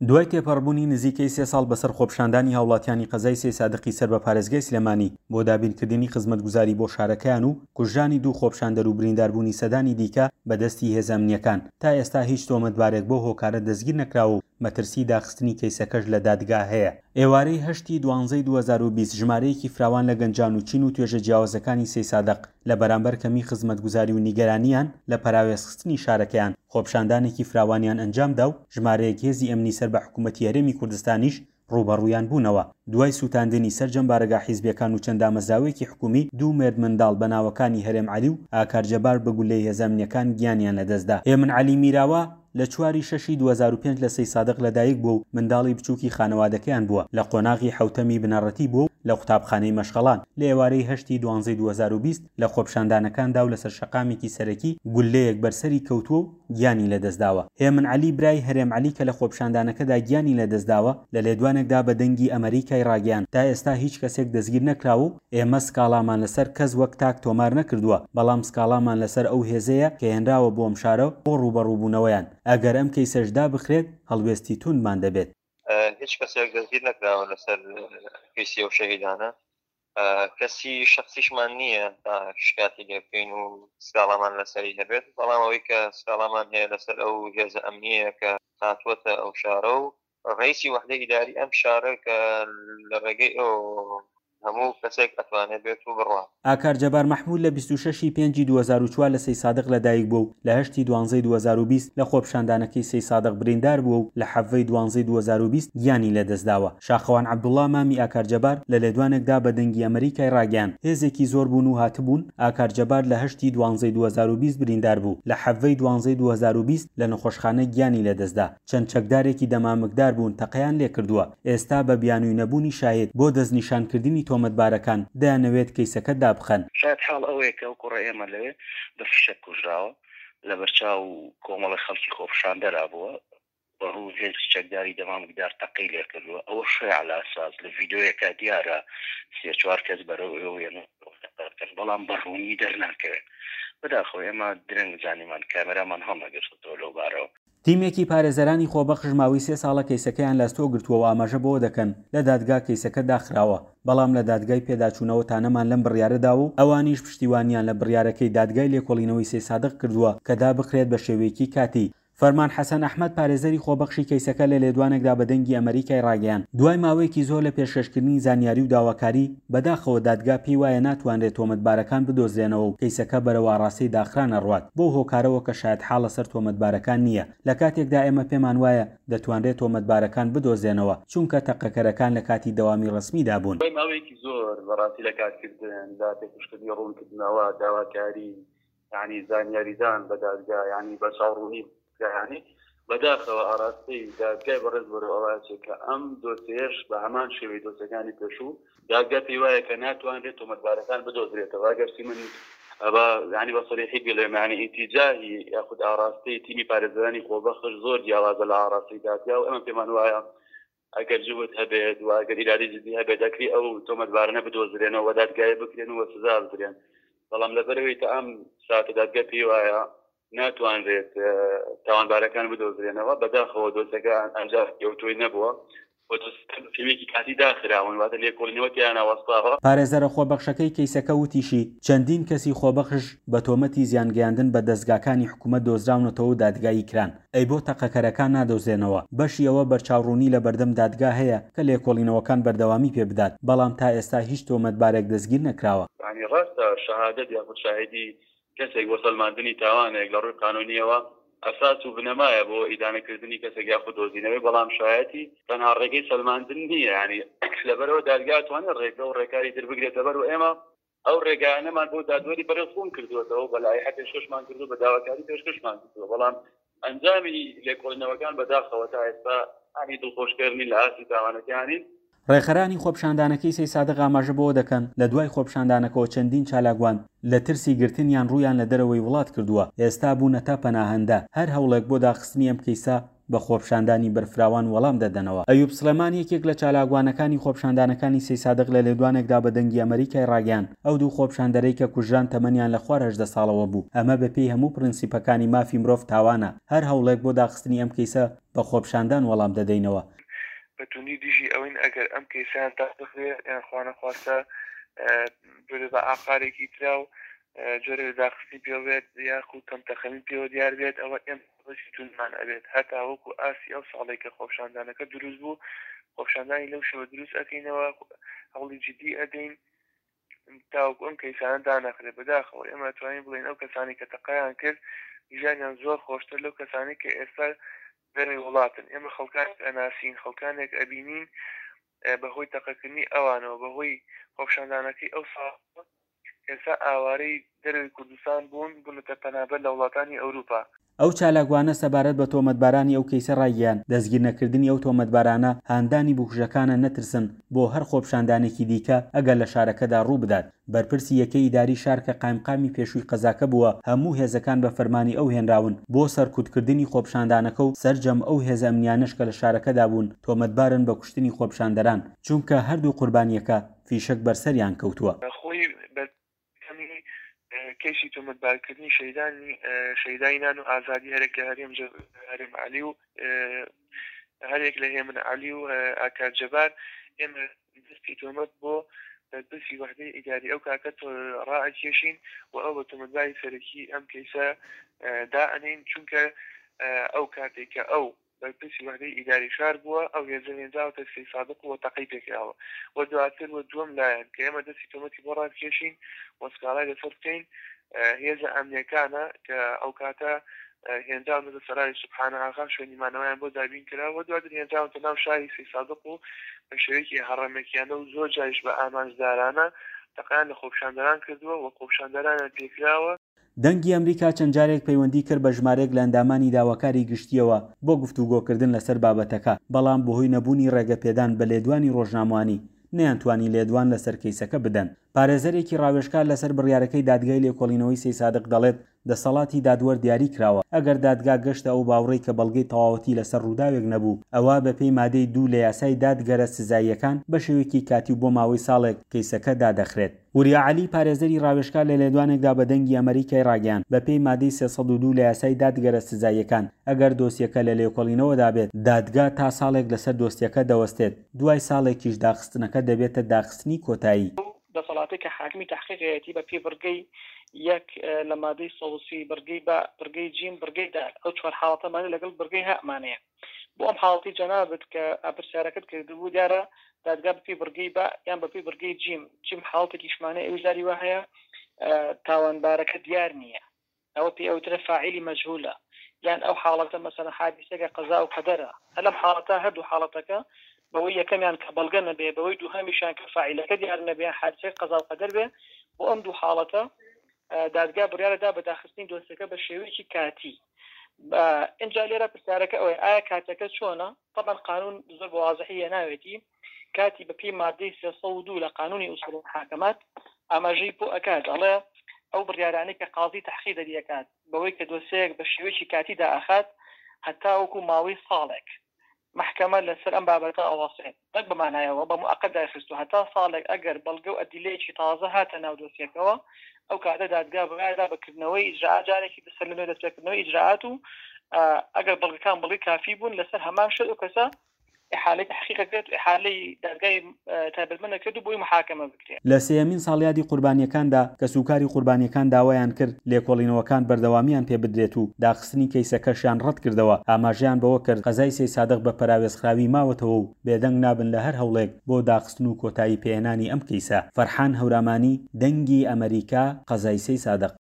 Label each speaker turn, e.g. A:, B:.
A: دوای تێپەڕبوونی نزیکەی سێ ساڵ بەسەر خۆپیشاندانی هاوڵاتیانی قەزای سەیسادقی سەر بە پارێزگای سلێمانی بۆ دابینکردنی خزمەتگوزاری بۆ شارەکەیان و کوژرانی دوو خۆپیشاندەر و برینداربوونی سەدانی دیکە بە دەستی هێزە ئەمنییەکان، تا ئێستا هیچ تۆمەتبارێک بەو هۆکارە دەستگیر نەکراوە و مەترسیی داخستنی کەیسەکەش لە دادگا هەیە. ئێوارەی هەشت ی دوانزەی 2020 ژمارەیەکی فراوان لە گەنجان و چین و توێژە جیاوازەکانی سەیسادق لە بەرامبەر کەمی خزمەتگوزاری و نیگەرانییان لە پەراوێزخستنی شارەکەیان خۆپیشاندانێکی فراوانیان ئەنجامدا و ژمارەیەک هێزی ئەمنی سەر بە حکومەتی هەرێمی کوردستانیش ڕووبەڕوویان بوونەوە. دوای سووتاندنی سەرجەم بارەگا حیزبییەکان و چەند دامەزراوەیەکی حکومی، دوو مێردمنداڵ بە ناوەکانی هەرێم عەلی و ئاکار جەبار بە گوللەی هێزە ئەمنییەکان گیانیان لەدەستدا. هێمن عەلی میراوا لە چوار ی شەشی 2005 لە سەیسادق لەدایک بووە و منداڵی بچووکی خانەوادەکەیان بووە، لە قۆناغی حەوتەمی بنەڕەتی بووە و لە قوتابخانەی مەشخەڵان، لە ئێوارەی هەشت ی دوانزەی 2020 لە خۆپیشاندانەکاندا و لەسەر شەقامێکی سەرەکی گوللەیەک بەر سەری کەوتووە و گیانی لەدەستداوە. هێمن عەلی برای هەرێم عەلی کە لە خۆپیشاندانەکەدا گیانی لەدەستداوە، لە لێدوانێکدا بە دەنگی ئەمەریکای ڕاگەیاند، تا ئێستا هیچ کەسێک دەستگیر نەکراوە و ئێمە سکاڵامان لەسەر کەس وەک تاک تۆمار نەکردووە، بەڵام سکاڵامان لەسەر ئەو هێزەیە کە هێنراوە بۆ ئەم شارە بۆ ڕووبەڕووبوونەوەیان، ئەگەر ئەم کەیسەش دابخرێت هەڵوێستی تووندمان دەبێت.
B: هیچ کەسێک دەستگیر نەکراوە لەسەر کەیسی ئەو شەهیدانە، کەسی شخصیشمان نییە تا شکاتی لێ بکەین و سکاڵامان لەسەری هەبێت، بەڵام ئەوەی کە سکاڵامان هەیە لەسەر ئەو هێزە ئەمنیەیە کە هاتووەتە ئەو شارە و ڕئیسی وەحدەی ئیداری ئەم شارە کە لە ڕێگەی ئەو هەموو کەسێک ئەتوانێت بێت و بڕوا.
A: ئاکار جەبار مەحمود لە 26 ی پێنجی 2004 لە سەیسادق لەدایک بووە و لە هەشت ی دوانزەی 2020 لە خۆپیشاندانەکەی سەیسادق بریندار بووە و لە حەڤدە ی دوانزەی 2020 گیانی لەدەستداوە. شاخەوان عەبدوڵا مامی ئاکار جەبار لە لێدوانێکدا بە دەنگی ئەمەریکای ڕاگەیاند، هێزێکی زۆر بوون و هاتبوون، ئاکار جەبار لە هەشت ی دوانزەی 2020 بریندار بوو، لە حەڤدە ی دوانزەی 2020 لە نەخۆشخانە گیانی لەدەستدا، چەند چەکدارێکی دەمامکدار بوون تەقەیان لێکردووە، ئێستا بە بیانووی نەبوونی شاهید بۆ دەستنیشانکردنی تۆمەتبارەکان دەیانەوێت کەیسەکە دابخەن.
C: شایەتحاڵ ئەوەیە کە ئەو کوڕە ئێمە لەوێ بە فیشەک کوژراوە، لەبەرچاو کۆمەڵێک خەڵکی خۆپیشاندەرا بووە، بە ڕوو هێزی چەکداری دەمامکدار تەقەی لێکردووە، ئەوە شەیع لاساز لە ڤیدۆیەکا دیارە سێ چوار کەس بەرەو ئێوە یەن و تەقە ئەکەن، بەڵام بە ڕوونی دەرناکەوێت. بەداخەوە ئێمە درەنگ زانیمان، کامێرامان هەڵنەگرتۆتەوە لەو بارەوە.
A: تیمێکی پارێزەرانی خۆبەخش ماوەی سێ ساڵە کەیسەکەیان لە ئەستۆ گرتووە و ئاماژە بەوە دەکەن، لە دادگا کەیسەکە داخراوە، بەڵام لە دادگای پێداچوونەوە تانەمان لەم بڕیارە داوە و ئەوانیش پشتیوانیان لە بڕیارەکەی دادگای لێکۆڵینەوەی سەیسادق کردووە کە دابخرێت بە شێوەیەکی کاتی. فەرمان حەسەن ئەحمەد پارێزەری خۆبەخشی کەیسەکە لە لێدوانێکدا بە دەنگی ئەمەریکای ڕاگەیاند، دوای ماوەیەکی زۆر لە پێشکەشکردنی زانیاری و داواکاری، بەداخەوە دادگا پێی وایە ناتوانرێت تۆمەتبارەکان بدۆزرێنەوە و کەیسەکە بەرەو ئاڕاستەی داخران ئەڕوات بەو هۆکارەوە کە شایەتحاڵ لەسەر تۆمەتبارەکان نییە لە کاتێکدا ئێمە پێمان وایە دەتوانرێت تۆمەتبارەکان بدۆزرێنەوە چونکە تەقەکەرەکان لە کاتی دەوامی ڕەسمیدا بوون.
D: دوای ماوەیەکی زۆر بەڕاستی لە کارکردن، لە پێشکەشکردنی ڕوونکردنەوە، داواکاری، یانی زانیاریدان بە دادگا یانی بەرچاوڕوونی یانی بەداخەوە ئاراستەی دادگای بەڕێز بەرەو ئەوە ئەچێت کە ئەم دۆسیەش بە هەمان شێوەی دۆسیەکانی پێشوو دادگا پێی وایە کە ناتوانرێت تۆمەتبارەکان بدۆزرێتەوە ئەگەرچی من بە یانی بە سەریحی بڵێم یانی ئیتیجاهی یاخود ئاراستەی تیمی پارێزەرانی خۆبەخش زۆر جیاوازە لە ئاراستەی دادگا و ئێمە پێمان وایە ئەگەر جوهد هەبێت و ئەگەر ئیرادەی جدی هەبێت دەکری ئەو تۆمەتبارانە بدۆزرێنەوە و دادگایی بکرێن و سزا بدرێن بەڵام لەبەرئەوەی تا ئەم ساتە دادگا پێی وایە ناتوانرێت تاوانبارەکان بدۆزرێنەوە بەداخەوە دۆسەکە ئەنجام ئەوتۆی نەبووە و دۆسەکە بە شێوەیەکی کاتی داخراون واتە لێکۆڵینەوە تیایان وەستاوە.
A: پارێزەرە خۆبەخشەکەی کەیسەکە وتیشی، چەندین کەسی خۆبەخش بە تۆمەتی زیانگەیاندن بە دەزگاکانی حکومەت دۆزراونەتەوە و دادگایی کران. ئەی بۆ تەقەکەرەکان نادۆزرێنەوە؟ بەشی ئەوە بەرچاوڕوونی لە بەردەم دادگا هەیە کە لێکۆڵینەوەکان بەردەوامی پێ بدات، بەڵام تا ئێستا هیچ تۆمەتبارێک دەستگیر نەکراوە.
D: یانی ڕاستە شەهادەت یاخود شاهیدی کەسێک بۆ سەلماندنی تاوانێک لە ڕووی قانوونییەوە ئەساس و بنەمایە بۆ ئیدانەکردنی کەسێک یاخود دۆزینەوەی، بەڵام شایەتی تەنها ڕێگەی سەلماندن نییە، یانی لەبەرئەوە دادگا ئەتوانێت ڕێگە و ڕێکاری تر بگرێتەبەر و ئێمە ئەو ڕێگایانەمان بۆ دادوەری بەڕێز ڕوون کردووەتەوە، بە لایحە پێشکەشمان کردووە، بە داواکاری پێشکەشمان کردووە، بەڵام ئەنجامی لێکۆڵینەوەکان بەداخەوە تا ئێستا هانی دڵخۆشکەر نین لە ئاستی تاوانەکانین.
A: ڕێکخەرانی خۆپیشاندانەکەی سەیسادق ئاماژە بەوە دەکەن، لە دوای خۆپیشاندانەکەوە چەندین چالاکوان لە ترسی گرتنیان ڕوویان لە دەرەوەی وڵات کردووە، ئێستا بوونەتە پەناهەندە، هەر هەوڵێک بۆ داخستنی ئەم کەیسە بە خۆپیشاندانی بەرفراوان وەڵام دەدەنەوە. ئەیوب سڵێمان یەکێک لە چالاکوانەکانی خۆپیشاندانەکانی سەیسادق لە لێدوانێکدا بە دەنگی ئەمەریکای ڕاگەیاند، ئەو دوو خۆپیشاندەرەی کە کوژران تەمەنیان لە خوار 18 ساڵەوە بوو، ئەمە بەپێی هەموو پرنسیپەکانی مافی مرۆڤ تاوانە، هەر هەوڵێک بۆ داخستنی ئەم کەیسە بە خۆپیشاندان وەڵام دەدەینەوە.
E: بە توندی دژی ئەوەین ئەگەر ئەم کەیسەیان دابخرێ یان خوانەخواستە ببێ بە ئاقارێکی ترا و جۆرێ لە داخستنی پێوە بێت یاخود کەمتەرخەمی پێوە دیار بێت ئەوە ئێمە هەڵوێستی توندمان ئەبێت هەتا وەکو ئاستی ئەو ساڵەی کە خۆپیشاندانەکە دروست بوو خۆپیشاندانی لەو شێوە دروست ئەکەینەوە هەوڵی جدی ئەدەین تاوەکو ئەم کەیسانە دانەخرێت بەداخەوە ئێمە ئەتوانین بڵێین ئەو کەسانەی کە تەقەیان کرد ژیانیان زۆر خۆشتر لەو کەسانەی کە ئێستا دەرەوەی وڵاتن ئێمە خەڵکانێک ئەناسین خەڵکانێک ئەبینین بەهۆی تەقەکردنی ئەوانەوە بەهۆی خۆپیشاندانەکەی ئەو ساڵ ئێستا ئاوارەی دەرەوەی کوردستان بوون بوونەتە پەنابەر لە وڵاتانی ئەوروپا.
A: ئەو چالاکوانە سەبارەت بە تۆمەتبارانی ئەو کەیسە ڕایگەیاند، دەستگیرنەکردنی ئەو تۆمەتبارانە هاندانی بکوژەکانە نەترسن بۆ هەر خۆپیشاندانێکی دیکە ئەگەر لە شارەکەدا ڕووبدات. بەرپرسی یەکەی ئیداری شار کە قایمقامی پێشووی قەزاکە بووە، هەموو هێزەکان بە فەرمانی ئەو هێنراون بۆ سەرکوتکردنی خۆپیشاندانەکە و سەرجەم ئەو هێزە ئەمنیانەش کە لە شارەکەدا بوون تۆمەتبارن بە کوشتنی خۆپیشاندەران، چونکە هەردوو قوربانییەکە فیشەک بەر سەریان کەوتووە.
E: خۆی بەرهەمی کەیسی تۆمەتبارکردنی شەهیدانی شەهیدانی نان و ئازادی هەرێک لە هەرێم هەرێم عەلی و هەرێک لە هێمن عەلی و ئاکار جەبار ئێمە دەستی تۆمەت بۆ بەرپرسی وەحدەی ئیداری ئەو کاتە ڕائەکێشین و ئەو بە تۆمەتباری سەرەکی ئەم کەیسە دائەنێین چونکە ئەو کاتێک کە ئەو بەرپرسی وەحدەی ئیداری شار بووە، ئەو هێزە هێنراوەتە سەیسادق و تەقەی پێکراوە و دواتر و دووەم لایەن کە ئێمە دەستی تۆمەتی بۆ ڕابکێشین و سکاڵای لەسەر بکەین هێزە ئەمنیەکانە کە ئەوکاتە هێنراونەتە سەرای سوبحانە ئاغا شوێنی مانەوەیان بۆ دابین کرا و دواتر هێنراونەتە ناو شاری سەیسادق و بە شێوەیەکی هەڕەمەکیانە و زۆر جاریش بە ئامانجدارانە تەقەیان لە خۆپیشاندەران کردووە و خۆپیشاندەرانیان پێکراوە.
A: دەنگی ئەمریکا چەند جارێک پەیوەندی کرد بە ژمارەیەک لە ئەندامانی داواکاری گشتییەوە بۆ گفتوگۆکردن لەسەر بابەتەکە، بەڵام بەهۆی نەبوونی ڕێگەپێدان بە لێدوانی ڕۆژنامەوانی نەیانتوانی لێدوان لەسەر کەیسەکە بدەن. پارێزەرێکی ڕاوێژکار لەسەر بڕیارەکەی دادگای لێکۆڵینەوەی سەیسادق دەڵێت، دەسەڵاتی دادوەر دیاری کراوە، ئەگەر دادگا گەشتە ئەو باوڕەی کە بەڵگەی تەواوەتی لەسەر ڕووداوێک نەبوو، ئەوا بەپێی مادەی دوو لە یاسای دادگەرە سزاییەکان بە شێوەیەکی کاتی و بۆ ماوەی ساڵێک کەیسەکە دادەخرێت. وریا عەلی، پارێزەری ڕاوێژکار لە لێدوانێکدا بە دەنگی ئەمەریکای ڕاگەیاند، بەپێی مادەی 302 لە یاسای دادگەرە سزاییەکان، ئەگەر دۆسیەکە لە لێکۆڵینەوەدا بێت، دادگا تا ساڵێک لەسەر دۆسیەکە دەوەستێت، دوای ساڵێکیش داخستنەکە دەبێتە داخستنی کۆتایی.
F: ئەو دەسەڵاتەی کە حاکمی تەحقیقەیەتی بە پێی بڕگەی یەک لە مادەی 130 بڕگەی با، بڕگەی جیم، بڕگەی دال، ئەو چوار حاڵەتەمانە لەگەڵ بڕگەی هاء مانەیە. بۆ ئەم حاڵەتەی جەنابت کە پرسیارەکەت کردبوو دیارە دادگا بەپێی بڕگەی با یان بەپێی بڕگەی جیم، جیم حاڵەتێکیشمانەیە ئەویش جاری وا هەیە تاوانبارەکە دیار نییە ئەوە پێی ئەوترێ فاعیلی مەجهولە یان ئەو حاڵەتە مەسەلەن حادیسەکە قەزا و قەدەرە هەر لەم حاڵەتە هەردوو حاڵەتەکە بەوەی یەکەمیان کە بەڵگە نەبێ بەوەی دووهەمیشیان کە فاعیلەکە دیار نەبێ یان حادیسەکە قەزا و قەدەر بێ بۆ ئەم دوو حاڵەتە دادگا بڕیارە دا بە داخستنی دۆسیەکە بە شێوەیەکی کاتی ئینجا لێرە پرسیارەکە ئەوەیە ئایا کاتەکە چۆنە طبعا قانون زۆر بە وازحی هێناوێتی کاتی بە پێی مادەی 302 لە قانونی ئوسوڵ محاکمات ئاماژەی بۆ ئەکات ئەڵێ ئەو بڕیارانەی کە قازی تەحقیق دەریەکات بەوەی کە دۆسیەیەک بە شێوەیەکی کاتی دائەخات هەتاوەکو ماوەی ساڵێک مەحکەمە لەسەر ئەم بابەتە ئەوەستێت، نەک بە مانای ئەوە بە موئەقەت دایخستووە، هەتا ساڵێک ئەگەر بەڵگە و ئەدیلەیەکی تازە هاتە ناو دۆسیەکەوە، ئەو کاتە دادگا بڕیار دا بە کردنەوەی ئیجرائات جارێکی تر سەرلەنوێ دەستپێکردنەوەی ئیجرائات و ئەگەر بەڵگەکان بەڵگەی کافی بوون لەسەر هەمان شت ئەو کەسە ئیحالەی تەحقیق ئەکرێت و ئیحالەی دادگای تایبەتمەند ئەکرێت و بۆی محاکەمە بکرێت.
A: لە سێیەمین ساڵیادی قوربانییەکاندا، کەسوکاری قوربانییەکان داوایان کرد لێکۆڵینەوەکان بەردەوامییان پێ بدرێت و داخستنی کەیسەکەشیان ڕەتکردەوە، ئاماژەیان بەوە کرد قەزای سەیدسادق بە پەراوێزخراوی ماوەتەوە و بێدەنگ نابن لە هەر هەوڵێک بۆ داخستن و کۆتایی پێهێنانی ئەم کەیسە. فەرحان هەورامانی، دەنگی ئەمەریکا، قەزای سەیدسادق.